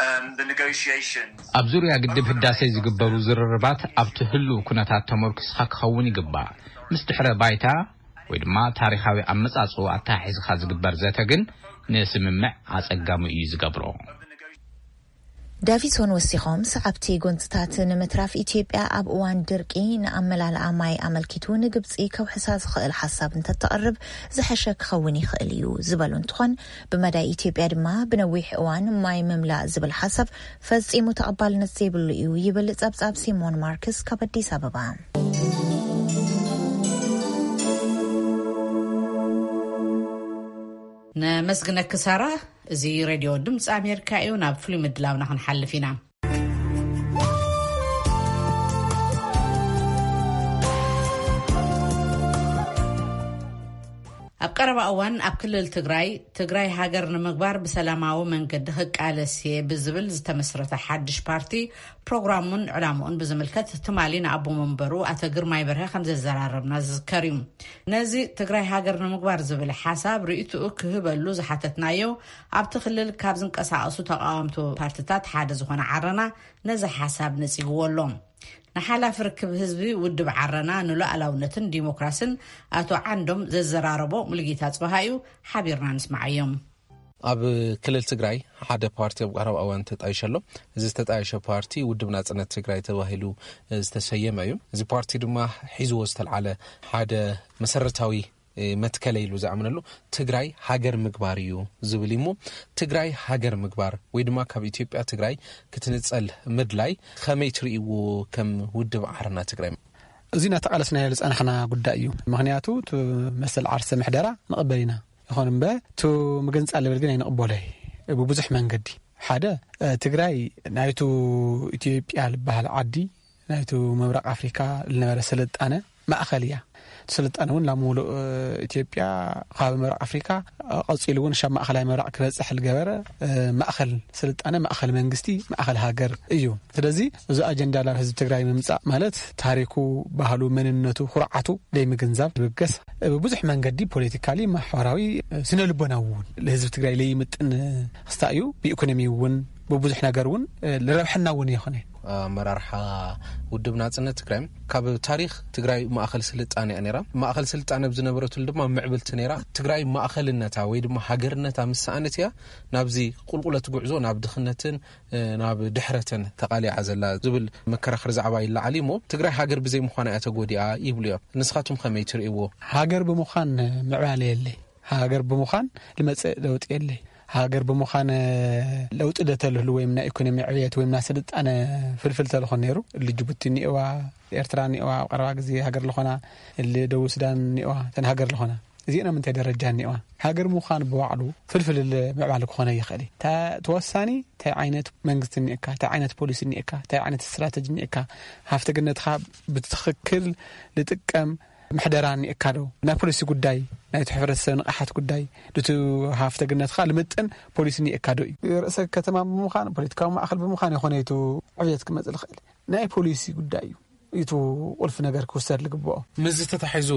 um, the negotiations. ኣብ ዙርያ ግድብ ህዳሴ ዝግበሩ ዝርርባት ኣብቲ ህሉው ኩነታት ተመርኩስኻ ክኸውን ይግባእ። ምስ ድሕረ ባይታ ወይ ድማ ታሪኻዊ ኣመጻጽኡ ኣተሓሒዝኻ ዝግበር ዘተ ግን ንስምምዕ ኣጸጋሚ እዩ ዝገብሮ። ዳቪሶን ወሲኾም፣ ሰዓብቲ ጎንጽታት ንምትራፍ ኢትዮጵያ ኣብ እዋን ድርቂ ንኣመላልኣ ማይ ኣመልኪቱ ንግብጺ ከውሕሳ ዝኽእል ሓሳብ እንተተቕርብ ዝሐሸ ክኸውን ይኽእል እዩ ዝበሉ እንትኾን፣ ብመዳይ ኢትዮጵያ ድማ ብነዊሕ እዋን ማይ ምምላእ ዝብል ሓሳብ ፈጺሙ ተቐባልነት ዘይብሉ እዩ ይብል ጸብጻብ ሲሞን ማርክስ ካብ ኣዲስ ኣበባ። ነመስግነኪ ሳራ። እዚ ሬድዮ ድምፂ ኣሜሪካ እዩ። ናብ ፍሉይ ምድላውና ክንሓልፍ ኢና። ኣብ ቀረባ እዋን ኣብ ክልል ትግራይ፣ ትግራይ ሃገር ንምግባር ብሰላማዊ መንገዲ ክቃለስ እየ ብዝብል ዝተመስረተ ሓድሽ ፓርቲ ፕሮግራሙን ዕላምኡን ብዝምልከት ትማሊ ንኣቦ መንበሩ ኣቶ ግርማይ በርሀ ከም ዘዘራረብና ዝዝከር እዩ። ነዚ ትግራይ ሃገር ንምግባር ዝብል ሓሳብ ርእይትኡ ክህበሉ ዝሓተትናዮ፣ ኣብቲ ክልል ካብ ዝንቀሳቐሱ ተቓወምቲ ፓርትታት ሓደ ዝኾነ ዓረና ነዚ ሓሳብ ነጺግዎ ኣሎ። ንሓላፊ ርክብ ህዝቢ ውድብ ዓረና ንሉዓላውነትን ዲሞክራስን ኣቶ ዓንዶም ዘዘራረቦ ሙሉጌታ ጽበሃ እዩ። ሓቢርና ንስማዓዮም። ኣብ ክልል ትግራይ ሓደ ፓርቲ ኣብ ቀረባ እዋን ተጣይሸ ኣሎ። እዚ ዝተጣየሸ ፓርቲ ውድብ ናጽነት ትግራይ ተባሂሉ ዝተሰየመ እዩ። እዚ ፓርቲ ድማ ሒዝዎ ዝተልዓለ ሓደ መሰረታዊ መትከለ ኢሉ ዝኣምነሉ ትግራይ ሃገር ምግባር እዩ ዝብል እዩ። እሞ ትግራይ ሃገር ምግባር ወይ ድማ ካብ ኢትዮጵያ ትግራይ ክትንጸል ምድላይ ከመይ ትርእይዎ ከም ውድብ ዓረና ትግራይ? እዚ እናተቓለስናዮ ዝጸናሕና ጉዳይ እዩ። ምኽንያቱ እቲ መሰል ዓርሰ ምሕደራ ንቕበል ኢና። ይኹን እምበር፣ እቲ ምግንጻል ዝብል ግን ኣይንቕበሎይ። ብብዙሕ መንገዲ። ሓደ፣ እ፣ ትግራይ ናይቱ ኢትዮጵያ ዝበሃል ዓዲ፣ ናይቱ ምብራቕ ኣፍሪካ ዝነበረ ስልጣነ ማእኸል እያ። እቲ ስልጣነ እውን ናብ ሙሉእ፣ እ፣ ኢትዮጵያ ካብ ምብራቕ ኣፍሪካ፣ እ፣ ቀፂሉ እውን ሻብ ማእኸላይ ምብራቕ ክበፅሕ ዝገበረ፣ እ፣ ማእኸል ስልጣነ፣ ማእኸል መንግስቲ፣ ማእኸል ሃገር እዩ። ስለዚ እዚ ኣጀንዳ ናብ ህዝቢ ትግራይ ምምፃእ ማለት ታሪኩ፣ ባህሉ፣ መንነቱ፣ ኩርዓቱ ዘይምግንዛብ ዝብገስ ብብዙሕ መንገዲ ፖለቲካሊ፣ ማሕበራዊ፣ ስነ ልቦናዊ እውን ንህዝቢ ትግራይ ለይምጥን ክስታ እዩ። ብኢኮኖሚ እውን ብብዙሕ ነገር እውን ልረብሐና እውን ይኾነ። ኣመራርሓ ውድብ ናጽነት ትግራይ ካብ ታሪኽ ትግራይ ማእኸል ስልጣነ እያ ነይራ። ማእኸል ስልጣነ ብዝነበረትሉ ድማ ምዕብልቲ ነይራ። ትግራይ ማእኸልነታ ወይ ድማ ሃገርነታ ምስ ሰኣነት እያ ናብዚ ቁልቁለት ጉዕዞ ናብ ድኽነትን ናብ ድሕረትን ተቓሊዓ ዘላ ዝብል መከራኸሪ ዛዕባ ይለዓል እዩ። እሞ ትግራይ ሃገር ብዘይ ምዃና እያ ተጎዲኣ ይብሉ እዮም። ንስኻትኩም ከመይ ትርእይዎ? ሃገር ብምዃን ምዕባለ የለይ። ሃገር ብምዃን ዝመፅእ ለውጢ የለይ። ሃገር ብምዃን ለውጢ ደተልህሉ ወይም ናይ ኢኮኖሚ ዕብየት ወይም ናይ ስልጣነ ፍልፍል ተልኾን ነይሩ፣ እሊ ጅቡቲ እኒእዋ፣ ኤርትራ እኒእዋ፣ ኣብ ቀረባ ግዜ ሃገር ልኾና፣ እሊ ደቡብ ሱዳን እኒእዋ፣ እተን ሃገር ልኾና እዚአን ኣብ ምንታይ ደረጃ እኒዋ? ሃገር ምዃን ብባዕሉ ፍልፍል ምዕባለ ክኾነ ይኽእል እዩ። ተወሳኒ እንታይ ዓይነት መንግስቲ እኒእካ፣ እንታይ ዓይነት ፖሊሲ እኒእካ፣ እንታይ ዓይነት ስትራተጂ እኒእካ፣ ሃፍቲ ግነትኻ ብትኽክል ልጥቀም ምሕደራ እኒኤካ ዶ? ናይ ፖሊሲ ጉዳይ፣ ናይቲ ሕብረተሰብ ንቕሓት ጉዳይ፣ ድቱ ሃፍተ ግነት ኸዓ ልምጥን ፖሊሲ እኒኤካ ዶ እዩ? ርእሰ ከተማ ብምዃን፣ ፖለቲካዊ ማእኸል ብምዃን ይኾነ እዩ እቲ ዕብየት ክመጽእ ዝኽእል። ናይ ፖሊሲ ጉዳይ እዩ። እቲ ቁልፊ ነገር ክውሰድ ዝግብኦ። ምስዚ ተታሒዙ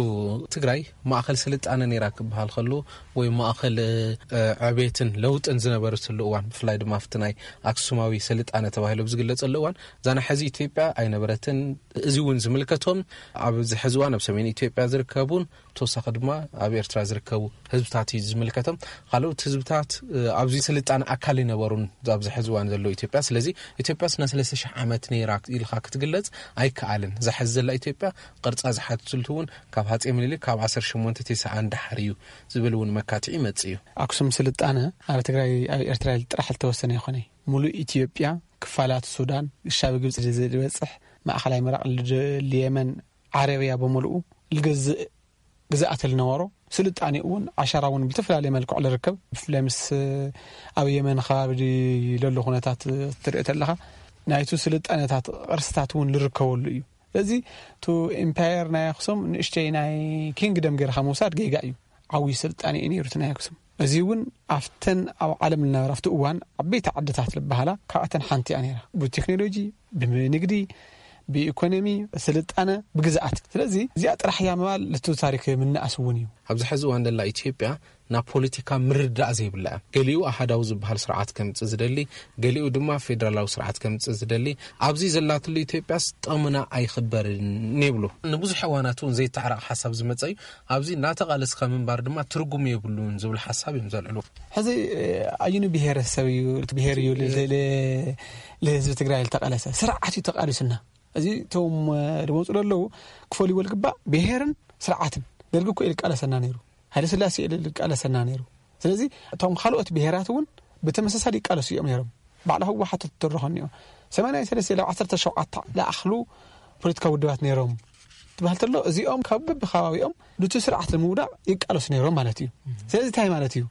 ትግራይ ማእኸል ስልጣነ ነይራ ክበሃል ከሎ ወይ ማእኸል፣ እ፣ ዕቤትን ለውጥን ዝነበረትሉ እዋን፣ ብፍላይ ድማ ኣብቲ ናይ ኣክሱማዊ ስልጣነ ተባሂሉ ኣብ ዝግለጸሉ እዋን፣ እዛ ናይ ሕዚ ኢትዮጵያ ኣይነበረትን። እዚ እውን ዝምልከቶም ኣብዚ ሕዚ እዋን ኣብ ሰሜን ኢትዮጵያ ዝርከቡን ተወሳኺ ድማ ኣብ ኤርትራ ዝርከቡ ህዝብታት እዩ ዝምልከቶም። ካልኦት ህዝብታት፣ እ፣ ኣብዚ ስልጣነ ኣካል ይነበሩን ኣብዚ ሕዚ እዋን ዘሎ ኢትዮጵያ። ስለዚ ኢትዮጵያ ስና ሰለስተ ሺሕ ዓመት ነይራ ኢልካ ክትግለጽ ኣይከኣልን። እዛ ሕዚ ዘላ ኢትዮጵያ ቅርጻ ዝሓትትልቱ እውን ካብ ሃጼ ምኒልክ ካብ ዓሰርተ ሸሞንተ ተስዓን ደሓር እዩ ዝብል እውን መካትዒ ይመጽእ እዩ። ኣክሱም ስልጣነ ኣብ ትግራይ፣ ኣብ ኤርትራ ጥራሕ ዝተወሰነ ይኾነ። ሙሉእ ኢትዮጵያ፣ ክፋላት ሱዳን፣ ግሻብ ግብጺ ዝበጽሕ፣ ማእኸላይ ምብራቕ፣ ልድ-፣ የመን፣ ዓረብያ ብምልኡ ልገዝእ ግዝኣት ልነበሮ፣ ስልጣኔ እውን ዓሻራ እውን ብተፈላለየ መልክዑ ልርከብ። ብፍላይ ምስ ኣብ የመን ከባቢ ለሎ ኩነታት ትርኢ ተለኻ፣ ናይቱ ስልጣኔታት ቅርስታት እውን ልርከበሉ እዩ። ስለዚ፣ ቱ ኢምፓየር ናይ ኣክሱም ንእሽተይ ናይ ኪንግደም ገይርካ ምውሳድ ጌጋ እዩ። ዓብዪ ስልጣኔ እዩ ነይሩ እቲ ናይ ኣክሱም። እዚ እውን ኣብተን ኣብ ዓለም ልነበራ ኣብቲ እዋን ዓበይቲ ዓድታት ልበሃላ ካብኣተን ሓንቲ እያ ነይራ። ብቴክኖሎጂ፣ ብንግዲ፣ ብኢኮኖሚ፣ ስልጣነ፣ ብግዝኣት። ስለዚ እዚኣ ጥራሕ እያ ምባል ልቱ ታሪክ ምንኣስ እውን እዩ። ኣብዚ ሕዚ እዋን ደላ ኢትዮጵያ ናብ ፖለቲካ ምርዳእ ዘይብላ እያ። ገሊኡ ኣሃዳዊ ዝበሃል ስርዓት ከምጽእ ዝደሊ፣ ገሊኡ ድማ ፌደራላዊ ስርዓት ከምጽእ ዝደሊ። ኣብዚ ዘላትሉ ኢትዮጵያስ ጠሙና ኣይኽበርን ይብሉ። ንብዙሕ እዋናት እውን ዘይተዓረቕ ሓሳብ ዝመጸ እዩ። ኣብዚ እናተቓለስካ ምንባር ድማ ትርጉም የብሉን ዝብል ሓሳብ እዮም ዘልዕሉ። ሕዚ፣ ኣየኑ ብሄረሰብ እዩ፣ ብሄር እዩ ል-፣ ል-፣ ል-፣ ልህዝቢ ትግራይ ልተቓለሰ? ስርዓት እዩ ተቓሊሱና። እዚ እቶም፣ እ፣ ዝመፁ ዘለዉ ክፈልይዎ ልግባእ፣ ብሄርን ስርዓትን። ደርጊ እኮ እዩ ልቃለሰና ነይሩ፣ ሃይለ ስላሴ እዩ ልቃለሰና ነይሩ። ስለዚ እቶም ካልኦት ብሄራት እውን ብተመሳሳሊ ይቃለሱ እዮም ነይሮም። ባዕላ ህወሓት ትትረኸ እኒኦ። ሰማንያ ሰለስተ ኢለ ዓሰርተ ሸውዓተ ለኣኽሉ ፖለቲካዊ ውድባት ነይሮም ትበሃል ተሎ፣ እዚኦም ካብ በብከባቢኦም ዱቲ ስርዓት ንምውዳቕ ይቃለሱ ነይሮም ማለት እዩ። ስለዚ እንታይ ማለት እዩ?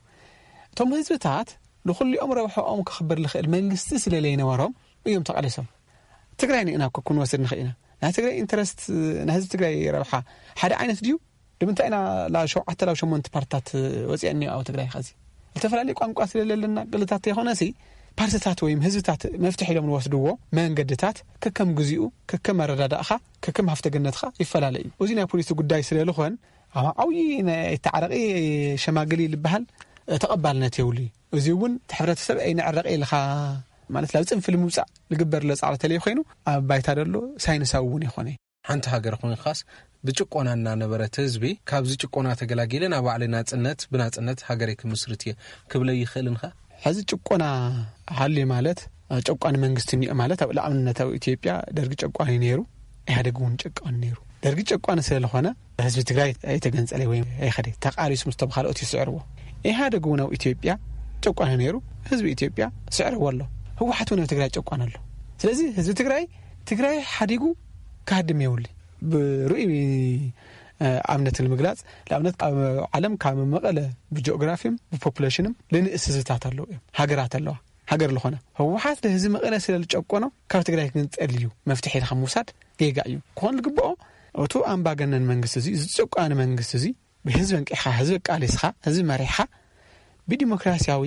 እቶም ህዝብታት ንኹሊኦም ረብሓኦም ክኽበር ልኽእል መንግስቲ ስለ ለይነበሮም እዮም ተቓሊሶም። ትግራይ ንእና እኮ ክንወስድ ንኽእል ኢና። ናይ ትግራይ ኢንተረስት፣ ናይ ህዝቢ ትግራይ ረብሓ ሓደ ዓይነት ድዩ? ንምንታይ ኢና ላብ ሸውዓተ ላብ ሸሞንተ ፓርትታት ወፂአን እኒኦ ኣብ ትግራይ? ኸዚ ዝተፈላለዩ ቋንቋ ስለለለና ቅልታት ተይኮነሲ ፓርትታት ወይም ህዝብታት መፍትሒ ኢሎም ንወስድዎ መንገድታት ከከም ግዚኡ፣ ከከም ኣረዳዳእኻ፣ ከከም ሃፍተገነትኻ ይፈላለ እዩ። እዚ ናይ ፖሊሲ ጉዳይ ስለልኾን ኣብ ዓብዪ ናይ ተዓረቂ ሸማግሊ ልበሃል ተቐባልነት የብሉ እዩ። እዚ እውን እቲ ሕብረተሰብ ኣይንዕረቂ ኢልኻ ማለት ናብ ፅንፊ ንምውፃእ ልግበር ለፃዕሪ ተለይ ኮይኑ ኣብ ባይታ ደሎ ሳይንሳዊ እውን ይኾነ። ሓንቲ ሃገር ኮይንካስ ብጭቆና እናነበረት ህዝቢ ካብዚ ጭቆና ተገላጊለ ናብ ባዕለይ ናጽነት ብናጽነት ሃገረይ ክምስርት እየ ክብለ ይኽእልን ከ? ሕዚ ጭቆና ሃልዩ ማለት ጨቋኒ መንግስቲ እኒኦ ማለት ኣብ ንኣብነት ኣብ ኢትዮጵያ ደርጊ ጨቋኒ ነይሩ፣ ኢህኣደግ እውን ጨቋኒ ነይሩ። ደርጊ ጨቋኒ ስለዝኾነ ህዝቢ ትግራይ ኣይተገንጸለ ወይ ኣይኸደ፣ ተቃሊሱ ምስቶም ካልኦት ይስዕርዎ። ኢህኣደግ እውን ኣብ ኢትዮጵያ ጨቋኒ ነይሩ፣ ህዝቢ ኢትዮጵያ ስዕርዎ ኣሎ። ህወሓት እውን ኣብ ትግራይ ጨቋኒ ኣሎ። ስለዚ ህዝቢ ትግራይ ትግራይ ሓዲጉ ክሃድም የብሉ። ብርኡይ ኣብነት ንምግላጽ ንኣብነት ኣብ ዓለም ካብ መቐለ ብጂኦግራፊም ብፖፑሌሽንም ልንእስ ህዝብታት ኣለዉ እዮም፣ ሃገራት ኣለዋ። ሃገር ዝኾነ ህወሓት ንህዝቢ መቐለ ስለ ዝጨቆኖ ካብ ትግራይ ክንጸል እዩ መፍትሒ ኢልካ ምውሳድ ጌጋ እዩ። ክኾን ዝግብኦ እቱ ኣምባገነን መንግስቲ እዚ፣ እዚ ጨቋኒ መንግስቲ እዚ ብህዝቢ እንቂሕኻ፣ ህዝቢ ኣቃሊስኻ፣ ህዝቢ መሪሕኻ ብዲሞክራሲያዊ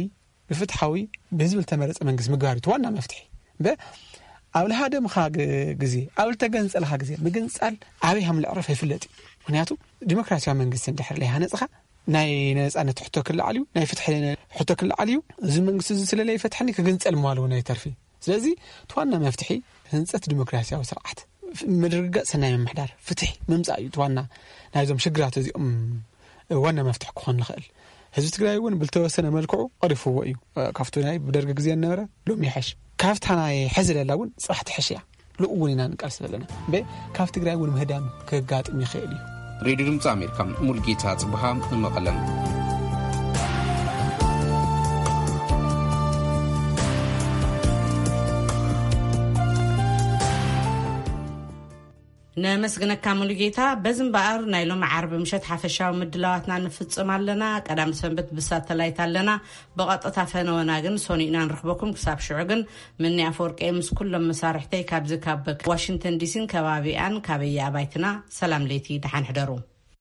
ብፍትሓዊ ብህዝቢ ዝተመረጸ መንግስቲ ምግባር እዩ እቲ ዋና መፍትሒ። እምበር ኣብ ልሃደምኻ ግ-፣ ግዜ፣ ኣብ ልተገንጸልኻ ግዜ ምግንጻል ኣበይ ሃም ልዕረፍ ኣይፍለጥ እዩ። ምክንያቱ ዲሞክራሲያዊ መንግስቲ እንድሕር ለይሃነጽኻ ናይ ነጻነት ሕቶ ክልዓል እዩ፣ ናይ ፍትሒ ሕቶ ክልዓል እዩ። እዚ መንግስቲ እዚ ስለ ለይፈትሐኒ ክግንጸል ምባል እውን ኣይተርፊ። ስለዚ እቲ ዋና መፍትሒ ህንጸት ዲሞክራሲያዊ ስርዓት፣ ምድርጋጽ ሰናይ ምምሕዳር፣ ፍትሒ ምምጻእ እዩ እቲ ዋና ናይዞም ሽግራት እዚኦም ዋና መፍትሒ ክኾን ንኽእል። ህዝቢ ትግራይ እውን ብልተወሰነ መልክዑ ቀሪፍዎ እዩ። ካብቲ ናይ ብደርጊ ግዜ ዝነበረ ሎሚ ይሐሽ። ካብታ ናይ ሕዚ ለላ እውን ጽባሕ ትሕሽ እያ። ልኡ እውን ኢና ንቃልስ ዘለና። እምበ ካብ ትግራይ እውን ምህዳም ክጋጥም ይኽእል እዩ። ሬድዮ ድምፂ ኣሜሪካ፣ ሙልጌታ ጽብሃ፣ መቐለም። ነመስግነካ ሙሉጌታ። በዚ እምበኣር ናይ ሎሚ ዓርቢ ምሸት ሓፈሻዊ ምድላዋትና ንፍጽም ኣለና። ቀዳም ሰንበት ብሳተላይት ኣለና። ብቐጥታ ፈነወና ግን ሰኑይ ኢና ንረኽበኩም። ክሳብ ሽዑ ግን ምኒ ኣፈወርቂ ምስ ኩሎም መሳርሕተይ ካብዚ ካብ ዋሽንግተን ዲሲን ከባቢኣን ካበየ ኣባይትና ሰላም ለይቲ፣ ደሓን ሕደሩ።